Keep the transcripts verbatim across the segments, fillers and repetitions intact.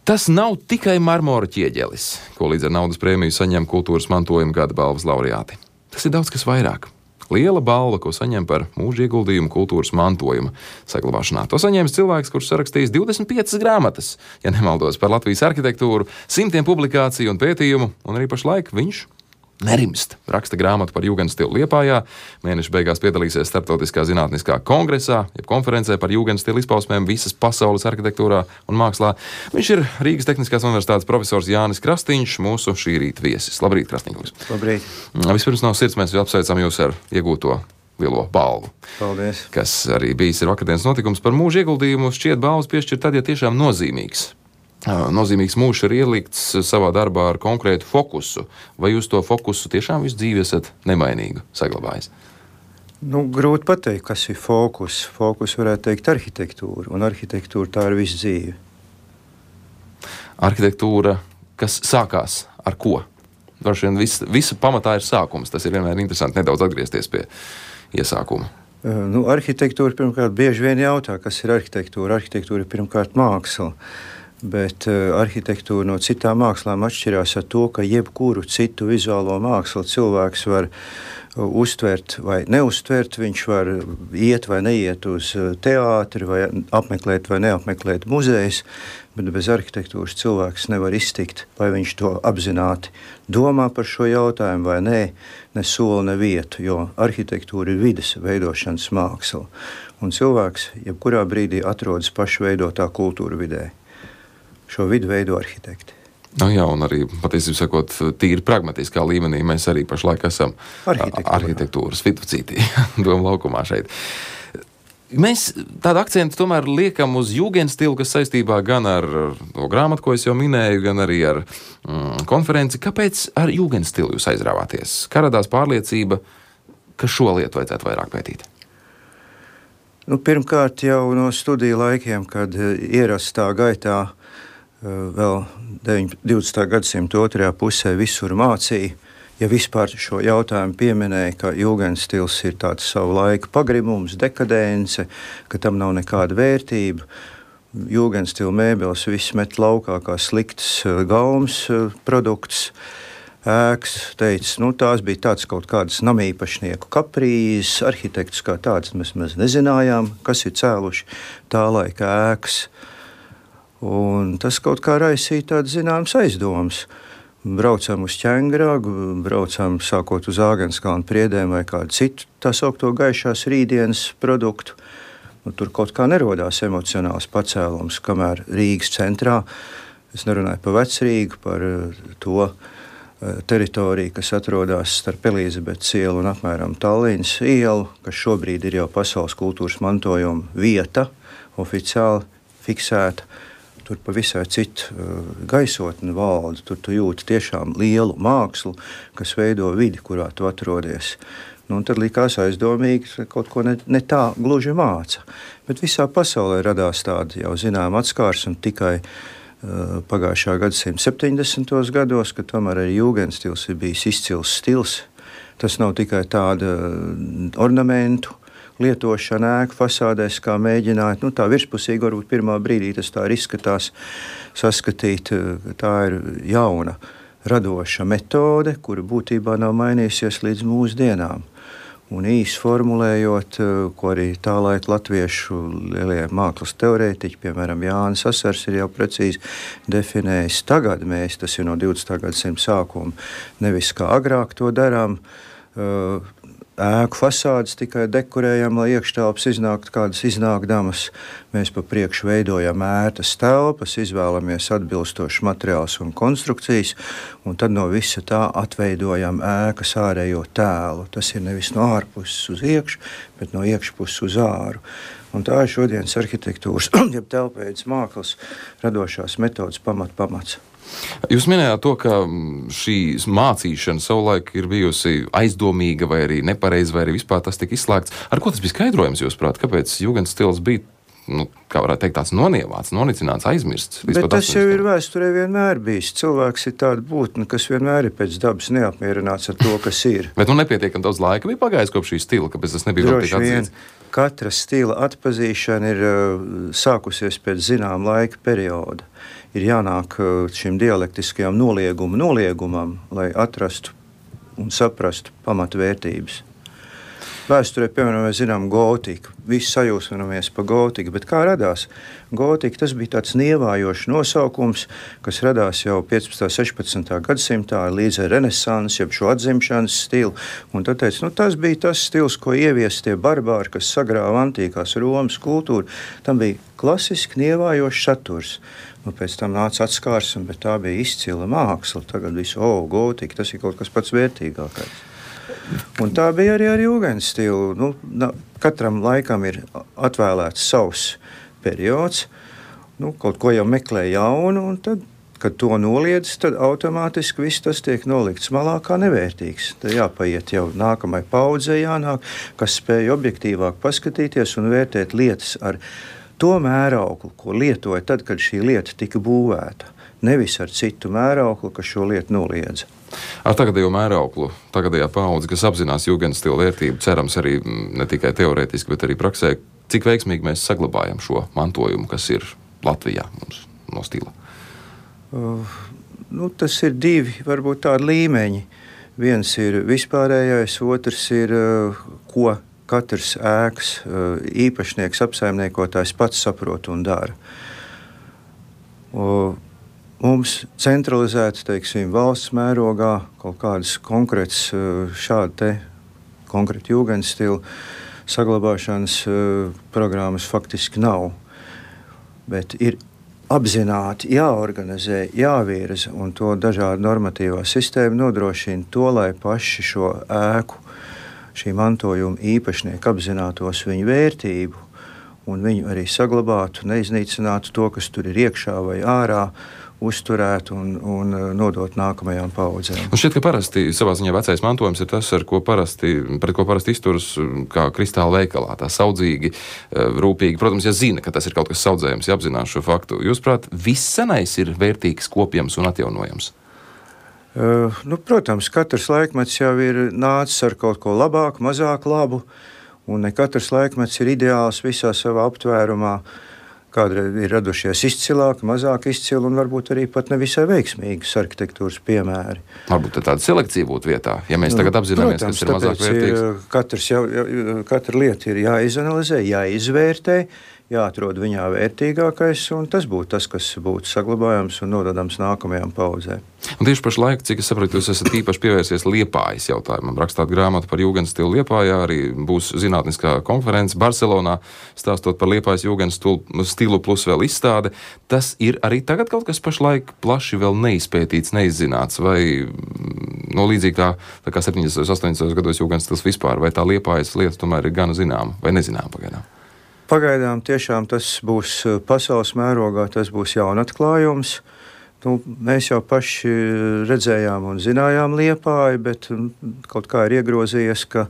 Tas nav tikai marmora ķieģelis, ko līdz ar naudas prēmiju saņem kultūras mantojuma gada balvas laureāti. Tas ir daudz kas vairāk. Liela balva, ko saņem par mūža ieguldījumu kultūras mantojuma saglabāšanā. To saņēmis cilvēks, kurš sarakstījis divdesmit piecas grāmatas, ja nemaldos, par Latvijas arhitektūru, simtiem publikāciju un pētījumu, un arī pašlaik viņš nerimst. Raksta grāmatu par jūgendstilu Liepājā, mēneša beigās piedalīsies Starptautiskā zinātniskā kongresā, jeb konferencē par jūgendstilu izpausmēm visas pasaules arhitektūrā un mākslā. Viņš ir Rīgas Tehniskās universitātes profesors Jānis Krastīņš, mūsu šī rīta viesis. Labrīt, Krastīņkungs. Labrīt. Vispirms no sirds mēs apsveicam jūs ar iegūto lielo balvu. Paldies. Kas arī bijis ir vakardienas notikums par mūža ieguldījumu. Šķiet balvas piešķirt tad, ja tiešām nozīmīgs. Nozīmīgs mūžs ir ielikts savā darbā ar konkrētu fokusu. Vai jūs to fokusu tiešām visu dzīvi esat nemainīgu saglabājis? Nu, grūti pateikt, kas ir fokus. Fokus varētu teikt arhitektūra, un arhitektūra tā ir visu dzīvi. Arhitektūra, kas sākās ar ko? Droši vien vis, visa pamatā ir sākums. Tas ir vienmēr interesanti nedaudz atgriezties pie iesākuma. Nu, arhitektūra pirmkārt bieži vien jautā, kas ir arhitektūra. Arhitektūra ir pirmkārt māksla. Bet uh, arhitektūra no citām mākslām atšķirās ar to, ka jebkuru citu vizuālo mākslu cilvēks var uh, uztvert vai neuztvert. Viņš var iet vai neiet uz uh, teātri, vai apmeklēt vai neapmeklēt muzejus, bet bez arhitektūras cilvēks nevar iztikt, vai viņš to apzināti domā par šo jautājumu vai nē, ne soli, ne vietu, jo arhitektūra ir vides veidošanas māksla. Un cilvēks jebkurā brīdī atrodas pašveidotā kultūra vidē. Šo vidu veido arhitekti. Nu jā, un arī, patiesībā sakot, tīri pragmatiskā līmenī mēs arī pašlaik esam arhitektūras viduscītī, doma laukumā šeit. Mēs tādu akcentu tomēr liekam uz jūgendstilu, kas saistībā gan ar to grāmatu, ko es jau minēju, gan arī ar mm, konferenci. Kāpēc ar jūgendstilu jūs aizrāvāties? Kā radās pārliecība, ka šo lietu vajadzētu vairāk pētīt? Nu, pirmkārt jau no studiju laikiem, kad ierastā gaitā vēl divdesmitā gadsimta otrajā pusē visur mācīja, ja vispār šo jautājumu pieminēja, ka jūgendstils ir tāds savu laiku pagrimums, dekadence, ka tam nav nekāda vērtība. Jūgendstila mēbeles viss met laukā kā slikts gaumas produkts. Ēkas teica, nu tās bija tāds kaut kādas namīpašnieku kaprīzes, arhitektus kā tāds mēs, mēs nezinājām, kas ir cēluši tā laika ēkas. Un tas kaut kā raisīja tādas zināmas aizdomas. Braucam uz Ķengragu, braucam sākot uz Āgenskalnu priedēm vai kādu citu tā saukto gaišās rītdienas produktu. Nu, tur kaut kā nerodās emocionāls pacēlums, kamēr Rīgas centrā, es nerunāju par Vecrīgu, par to teritoriju, kas atrodas starp Elizabetes ielu un apmēram Tallinas ielu, kas šobrīd ir jau pasaules kultūras mantojuma vieta, oficiāli fiksēta. Tur pavisam citu uh, gaisotni valda, tur tu jūti tiešām lielu mākslu, kas veido vidi, kurā tu atrodies. Nu, un tad likās aizdomīgi, ka kaut ko ne, ne tā gluži māca. Bet visā pasaulē radās tāda jau zinām atskārsme tikai uh, pagājušā gadsimta septiņdesmitos gados, ka tomēr arī jūgendstils ir bijis izcils stils. Tas nav tikai tāda ornamentu lietošana ēku fasādēs, kā mēģināt, nu tā virspusīgi varbūt pirmā brīdī tas tā ir izskatās saskatīt, tā ir jauna radoša metode, kura būtībā nav mainījusies līdz mūsdienām. Un īsi formulējot, ko arī tā laika latviešu lielie mākslas teorētiķi, piemēram, Jānis Asars ir jau precīzi definējis. Tagad mēs, tas ir no divdesmitā gadsimta sākuma, nevis kā agrāk to darām, ēku fasādes tikai dekorējam, lai iekštelpas iznāktu kādas iznākdamas. Mēs pa priekšu veidojam ērtas telpas, izvēlamies atbilstošas materiālus un konstrukcijas, un tad no visa tā atveidojam ēkas ārējo tēlu. Tas ir nevis no ārpuses uz iekšu, bet no iekšpuses uz āru. Un tā ir šodienas arhitektūras, jeb telpveides mākslas radošās metodas pamat pamats. Jūs minējāt to, ka šī mācīšana savulaik ir bijusi aizdomīga vai arī nepareiza, vai arī vispār tas tika izslēgts. Ar ko tas bija skaidrojams, jūsuprāt? Kāpēc jūgendstils bija, nu, kā varētu teikt, tāds nonievāts, nonicināts, aizmirsts? Bet tas jau ir vēsturē vienmēr bijis. Cilvēks ir tāda būtne, kas vienmēr ir pēc dabas neapmierināts ar to, kas ir. Bet nu nepietiekam daudz laika bija pagājis kopš šī stila, kāpēc tas nebija vēl tik atzīts? Katra stila atpazīšana ir uh, sākusies pēc zinām laika perioda. ir jānāk šim dialektiskajam nolieguma noliegumam, lai atrastu un saprastu pamatvērtības. Vēsturē, piemēram, mēs zinām gotiku. Visi sajūsminamies par gotiku, bet kā radās? Gotika tas bija tāds nievājošs nosaukums, kas radās jau piecpadsmitā, sešpadsmitā gadsimtā līdz ar renesansi, jeb šo atzimšanas stilu. Un tad teica, nu tas bija tas stils, ko ievies tie barbāri, kas sagrāva antīkās Romas kultūru. Tam bija klasiski nievājošs saturs. Nu, pēc tam nāca atskārsme, bet tā bija izcila māksla. Tagad visu, o, gotika, tas ir kaut kas pats vērtīgākais. Un tā bija arī ar jūgenstilu. Nu, katram laikam ir atvēlēts savs periods, nu, kaut ko jau meklē jaunu, un tad, kad to noliedz, tad automātiski viss tas tiek nolikts malā kā nevērtīgs. Tad jāpaiet jau nākamai paudzei jānāk, kas spēj objektīvāk paskatīties un vērtēt lietas ar to mērauklu, ko lietoja tad, kad šī lieta tika būvēta. Nevis ar citu mērauklu, kas šo lietu noliedza. Ar tagadējo mērauklu, tagadējā paudze, kas apzinās jūgenstila vērtību, cerams arī ne tikai teorētiski, bet arī praksē, cik veiksmīgi mēs saglabājam šo mantojumu, kas ir Latvijā mums no stila? Uh, nu, tas ir divi, varbūt tādi līmeņi. Viens ir vispārējais, otrs ir, uh, ko katrs ēkas uh, īpašnieks, apsaimniekotājs pats saprot un dara. Uh, Mums centralizēti, teiksim, valsts mērogā kaut kādas konkrētas šāda te konkrēta jūgenstila saglabāšanas programmas faktiski nav. Bet ir apzināti jāorganizē, jāvirza, un to dažādu normatīvā sistēma nodrošina to, lai paši šo ēku, šī mantojuma īpašnieki apzinātos viņu vērtību, un viņu arī saglabātu, neiznīcinātu to, kas tur ir iekšā vai ārā, uzturēt un, un nodot nākamajām paudzēm. Un šķiet, ka parasti savā ziņā vecais mantojums ir tas, ar ko parasti, pret ko parasti izturas kā kristāla veikalā, tā saudzīgi, rūpīgi. Protams, ja zina, ka tas ir kaut kas saudzējams, ja apzinās šo faktu. Jūsuprāt, viss senais ir vērtīgs, kopjams un atjaunojams? Uh, nu, protams, katrs laikmets jau ir nācis ar kaut ko labāku, mazāk labu, un ne katrs laikmets ir ideāls visā savā aptvērumā. Kādreiz ir radušies izcilāki, mazāk izcili un varbūt arī pat nevisai veiksmīgas arhitektūras piemēri. Varbūt tāda selekcija būtu vietā, ja mēs tagad apzināmies, Protams, kas ir mazāk vērtīgs. Ir, katrs jau, katra lieta ir jāizanalizē, jāizvērtē, jāatrod viņā vērtīgākais, un tas būtu tas, kas būtu saglabājams un nododams nākamajām paudzēm. Un tieši pašlaik, cik es saprotu, jūs esat īpaši pievērsies Liepājas jautājumam. Rakstāt grāmatu par jūgenstilu Liepājā, arī būs zinātniskā konference Barcelonā, stāstot par Liepājas jūgenstilu plus vēl izstāde. Tas ir arī tagad kaut kas pašlaik plaši vēl neizpētīts, neizzināts, vai no līdzīgi kā, tā kā septiņdesmitos, astoņdesmitos gados jūgenstils vispār, vai tā Liepājas lieta tomēr ir gana zināma vai nezināma pagaidām? Pagaidām tiešām tas būs pasaules mērogā, tas būs jaunatklājums. Nu, mēs jau paši redzējām un zinājām Liepāju, bet kaut kā ir iegrozījies, ka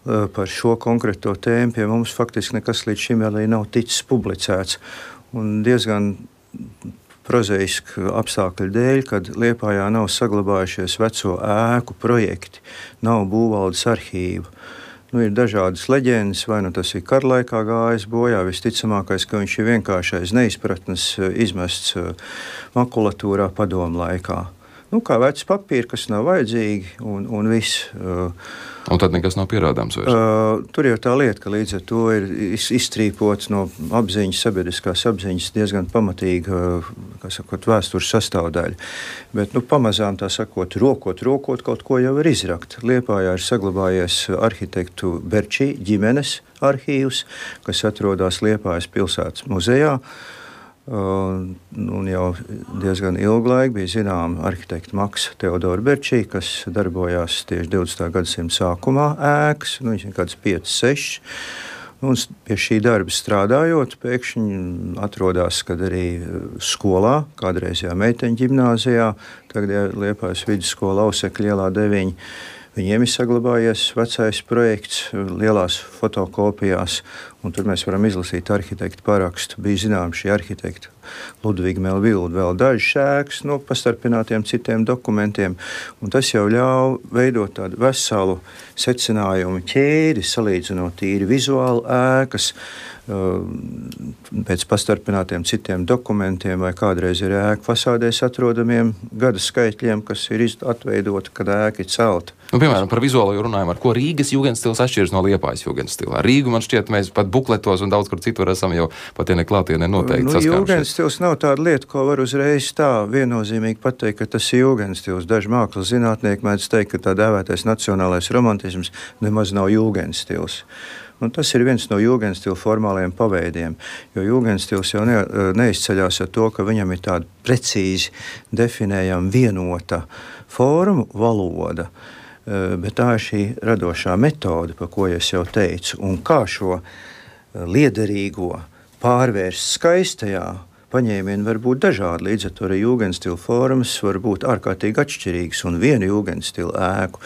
par šo konkrēto tēmu pie mums faktiski nekas līdz šim vēl nav ticis publicēts. Un diezgan prozaiski apstākļu dēļ, kad Liepājā nav saglabājušies veco ēku projekti, nav būvvaldes arhīva. Nu, ir dažādas leģendas, vai nu tas ir karlaikā gājis bojā, visticamākais, ka viņš ir vienkāršais neizpratnes izmests makulatūrā padomu laikā. Nu, kā vecs papīri, kas nav vajadzīgi, un, un viss. Un tad nekas nav pierādāms vairs? Uh, tur jau tā lieta, ka līdz ar to ir izstrīpots no apziņas, sabiedriskās apziņas diezgan pamatīga, kā sakot, vēstures sastāvdaļa. Bet, nu, pamazām tā sakot, rokot, rokot, kaut ko jau ir izrakt. Liepājā ir saglabājies arhitektu Berčī ģimenes arhīvs, kas atrodas Liepājas pilsētas muzejā. Uh, un jau diezgan ilgu laiku bija zināma arhitekta Maksa Teodora Berčī, kas darbojās tieši divdesmitā gadsimta sākumā ēkas, nu, viņš ir kāds pieci, seši. Un pie šī darba strādājot, pēkšņi atrodās, kad arī skolā, kādreizajā meiteņu ģimnāzijā, tagad Liepājas vidusskola Ausekļa ielā deviņi, viņiem ir saglabājies vecais projekts lielās fotokopijās, un tur mēs varam izlasīt arhitektu parakstu. Bija zinām šī arhitekta Ludviga Melvilda vēl dažas ēkas no pastarpinātiem citiem dokumentiem, un tas jau ļauj veidot tādu veselu secinājumu ķēdi, salīdzinot tīri vizuāli ēkas, pēc pastarpinātiem citiem dokumentiem vai kādreiz ir ēku fasādēs atrodamiem gada skaitļiem, kas ir atveidoti, kad ēka ir celta. Nu, piemēram, par vizuālo runājumu, ar ko Rīgas jūgendstils atšķiras no Liepājas jūgendstilā. Rīgu man šķiet, mēs pat bukletos un daudz kur citur esam jau pat ja ne klātienē noteikti nu, saskārušies. Jūgendstils nav tāda lieta, ko var uzreiz tā viennozīmīgi pateikt, ka tas ir jūgendstils. Daži mākslas zinātnieki mēdz teikt, ka tā dēvētais nacionālais romantisms nemaz nav jūgendstils. Un tas ir viens no jūgendstila formāliem paveidiem, jo jūgendstils jau ne, neizceļās ar to, ka viņam ir tāda precīzi definējama vienota forma, valoda, bet tā ir šī radošā metode, par ko es jau teicu, un kā šo liederīgo pārvērst skaistajā paņēmieni var būt dažādi, līdz ar to arī jūgendstila formas var būt ārkārtīgi atšķirīgas, un vienu jūgendstila ēku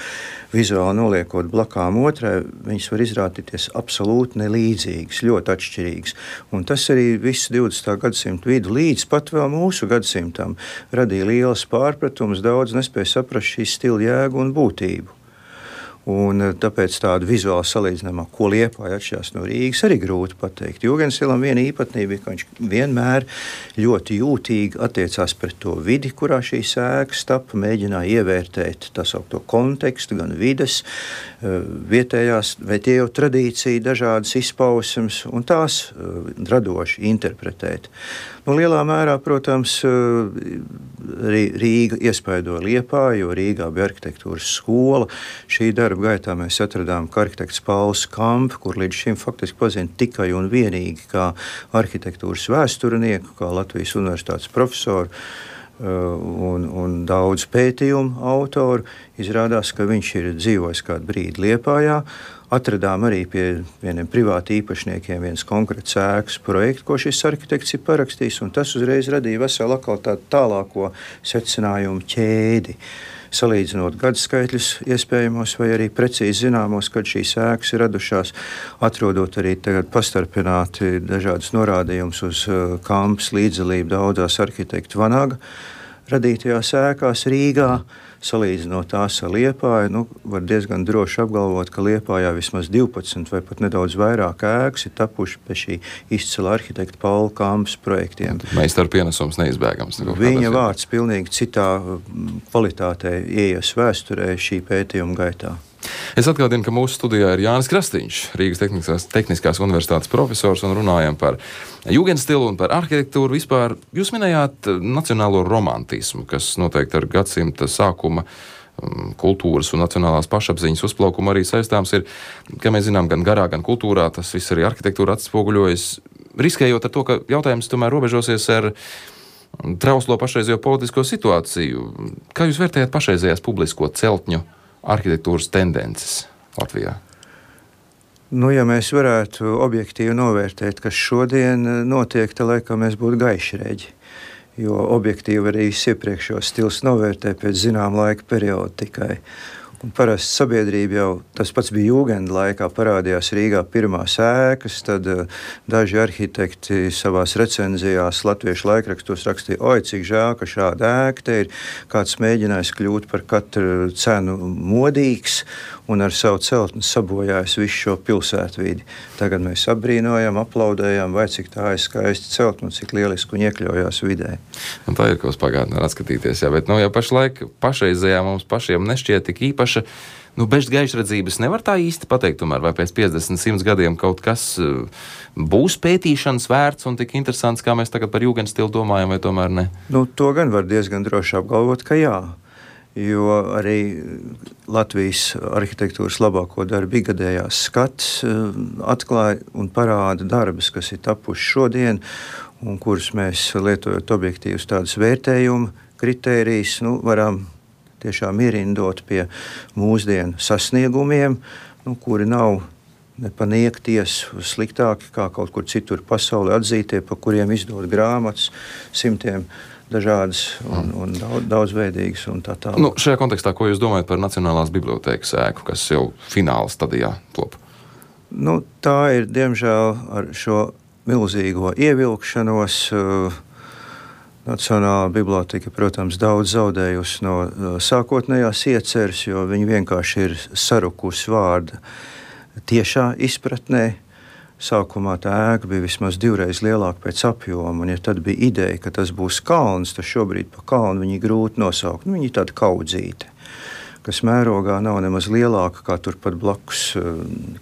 vizuāli noliekot blakām otrai, viņas var izrādīties absolūti nelīdzīgas, ļoti atšķirīgas. Un tas arī visu divdesmitā gadsimta vidu līdz pat vēl mūsu gadsimtam radīja lielas pārpratumus, daudz nespēja saprast šī stila jēgu un būtību. Un tāpēc tādu vizuāli salīdzinājumā, ko Liepāja atšķirās no Rīgas, arī grūti pateikt. Jūgendstilam viena īpatnība, ka viņš vienmēr ļoti jūtīgi attiecās pret to vidi, kurā šīs ēkas tapa, mēģināja ievērtēt tā saukto kontekstu, gan vides, vietējās, vai tie jau tradīcija, dažādas izpausmes, un tās radoši interpretēt. Nu, lielā mērā, protams, Rīga iespaidoja Liepāju, jo Rīgā bija arhitektūras skola. Šī darba gaitā mēs atradām, ka arhitekts Pauls Kamp, kur līdz šim faktiski pazina tikai un vienīgi kā arhitektūras vēsturnieku, kā Latvijas universitātes profesoru un, un daudz pētījumu autoru, izrādās, ka viņš ir dzīvojis kādu brīdi Liepājā. Atradām arī pie vieniem privāti īpašniekiem viens konkrēts ēkas projekts, ko šis arhitekts ir parakstījis, un tas uzreiz radīja veselu atkal tādu tālāko secinājumu ķēdi. Salīdzinot gadskaitļus iespējamos vai arī precīzi zināmos, kad šīs ēkas ir radušās, atrodot arī tagad pastarpināti dažādas norādījumus uz Kampas līdzdalību daudzās arhitektu Vanaga radītajās ēkās Rīgā. Salīdzinot tās ar Liepāju, nu, var diezgan droši apgalvot, ka Liepājā vismaz divpadsmit vai pat nedaudz vairāk ēkas ir tapuši pie šī izcila arhitekta Paula Kampas projektiem. Meistaru pienesums neizbēgams. Viņa vārds pilnīgi citā kvalitātē ieies vēsturē šī pētījuma gaitā. Es atgādinu, ka mūsu studijā ir Jānis Krastīņš, Rīgas Tehniskās, Tehniskās universitātes profesors, un runājam par jūgendstilu un par arhitektūru vispār. Jūs minējāt nacionālo romantismu, kas noteikti ar gadsimta sākuma kultūras un nacionālās pašapziņas uzplaukumu arī saistāms ir, kā mēs zinām, gan garā, gan kultūrā, tas viss arī arhitektūra atspoguļojas, riskējot ar to, ka jautājums tomēr robežosies ar trauslo pašreizējo politisko situāciju. Kā jūs vērtējat pašreizējās publisko celtņu arhitektūras tendences Latvijā? Nu, ja mēs varētu objektīvi novērtēt, kas šodien notiek, tad laikam mēs būtu gaišreģi. Jo objektīvi arī iepriekšējos stils novērtē pēc zinām laika perioda tikai. Un parasti sabiedrība jau, tas pats bija jūgenda laikā, parādījās Rīgā pirmās ēkas, tad uh, daži arhitekti savās recenzijās latviešu laikrakstos rakstīja, oi, cik žēl, ka šāda ēka te ir, kāds mēģinājis kļūt par katru cenu modīgs un ar savu celtni sabojājis visu šo pilsētvidi. Tagad mēs apbrīnojam, aplaudējam, vai cik tā ir skaisti celtni un cik lieliski un iekļaujās vidē. Un tā ir, ko uz pagātnē var atskatīties, jā, bet nu, jau pašlaik pašreizējā mums pašiem nešķiet tik īpaši. Nu, bez gaišredzības nevar tā īsti pateikt, tomēr, vai pēc piecdesmit, simt gadiem kaut kas uh, būs pētīšanas vērts un tik interesants, kā mēs tagad par jūgendstilu domājam, vai tomēr ne? Nu, to gan var diezgan droši apgalvot, ka jā. Jo arī Latvijas arhitektūras labāko darbu ikgadējās skats uh, atklāja un parāda darbus, kas ir tapuši šodien un kurus mēs lietojot objektīvus tādus vērtējumu kritērijus, nu, varam tiešām ierindot pie mūsdienu sasniegumiem, nu, kuri nav nepaniekties sliktāki kā kaut kur citur pasaulē atzītie, pa kuriem izdod grāmatas simtiem dažādas un, un daudz, daudzveidīgas un tā tālāk. Nu, šajā kontekstā, ko jūs domājat par Nacionālās bibliotēkas ēku, kas jau fināla stadijā top? Nu, tā ir, diemžēl, ar šo milzīgo ievilkšanos uh, Nacionālā biblioteka, protams, daudz zaudējusi no sākotnējās ieceres, jo viņi vienkārši ir sarukusi vārda tiešā izpratnē. sākumā tā ēka bija vismaz divreiz lielāka pēc apjoma, un ja tad bija ideja, ka tas būs kalns, tad šobrīd pa kalnu viņi grūti nosaukt. Nu, viņi ir tāda kaudzīte, kas mērogā nav nemaz lielāka kā turpat blakus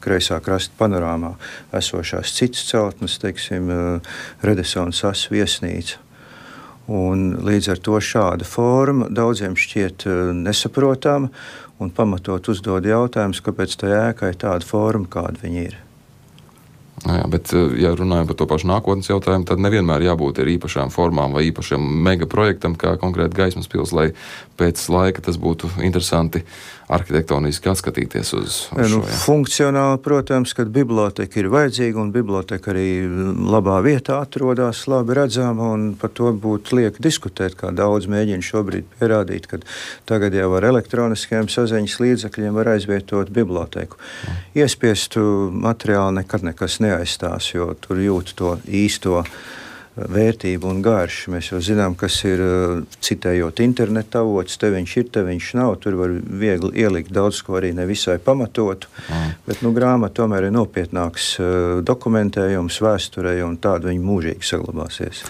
kreisā krasta panorāmā esošās citas celtnes, teiksim, Renesanses viesnīca. Un līdz ar to šāda forma daudziem šķiet nesaprotama un pamatot uzdod jautājumus, kāpēc tai ēkai tāda forma, kāda viņa ir. Jā, bet, ja runājam par to pašu nākotnes jautājumu, tad nevienmēr jābūt ar īpašām formām vai īpašiem megaprojektam, kā konkrēti Gaismas pils, lai pēc laika tas būtu interesanti arhitektoniski atskatīties uz, uz nu, šo. Jā. Funkcionāli, protams, kad biblioteka ir vajadzīga un biblioteka arī labā vietā atrodas, labi redzama, un par to būtu lieki diskutēt, kā daudz mēģina šobrīd pierādīt, ka tagad jau ar elektroniskajiem saziņas līdzekļiem var aizvietot biblioteku. Mm. Iespiestu materiālu nekad nekas neaizstās, jo tur jūt to īsto vērtību un garšu. Mēs jau zinām, kas ir, citējot interneta avots, te viņš ir, te viņš nav, tur var viegli ielikt daudz ko arī nevisai pamatotu, mm. bet nu, grāmata tomēr ir nopietnāks dokumentējums vēsturei un tāda viņa mūžīgi saglabāsies.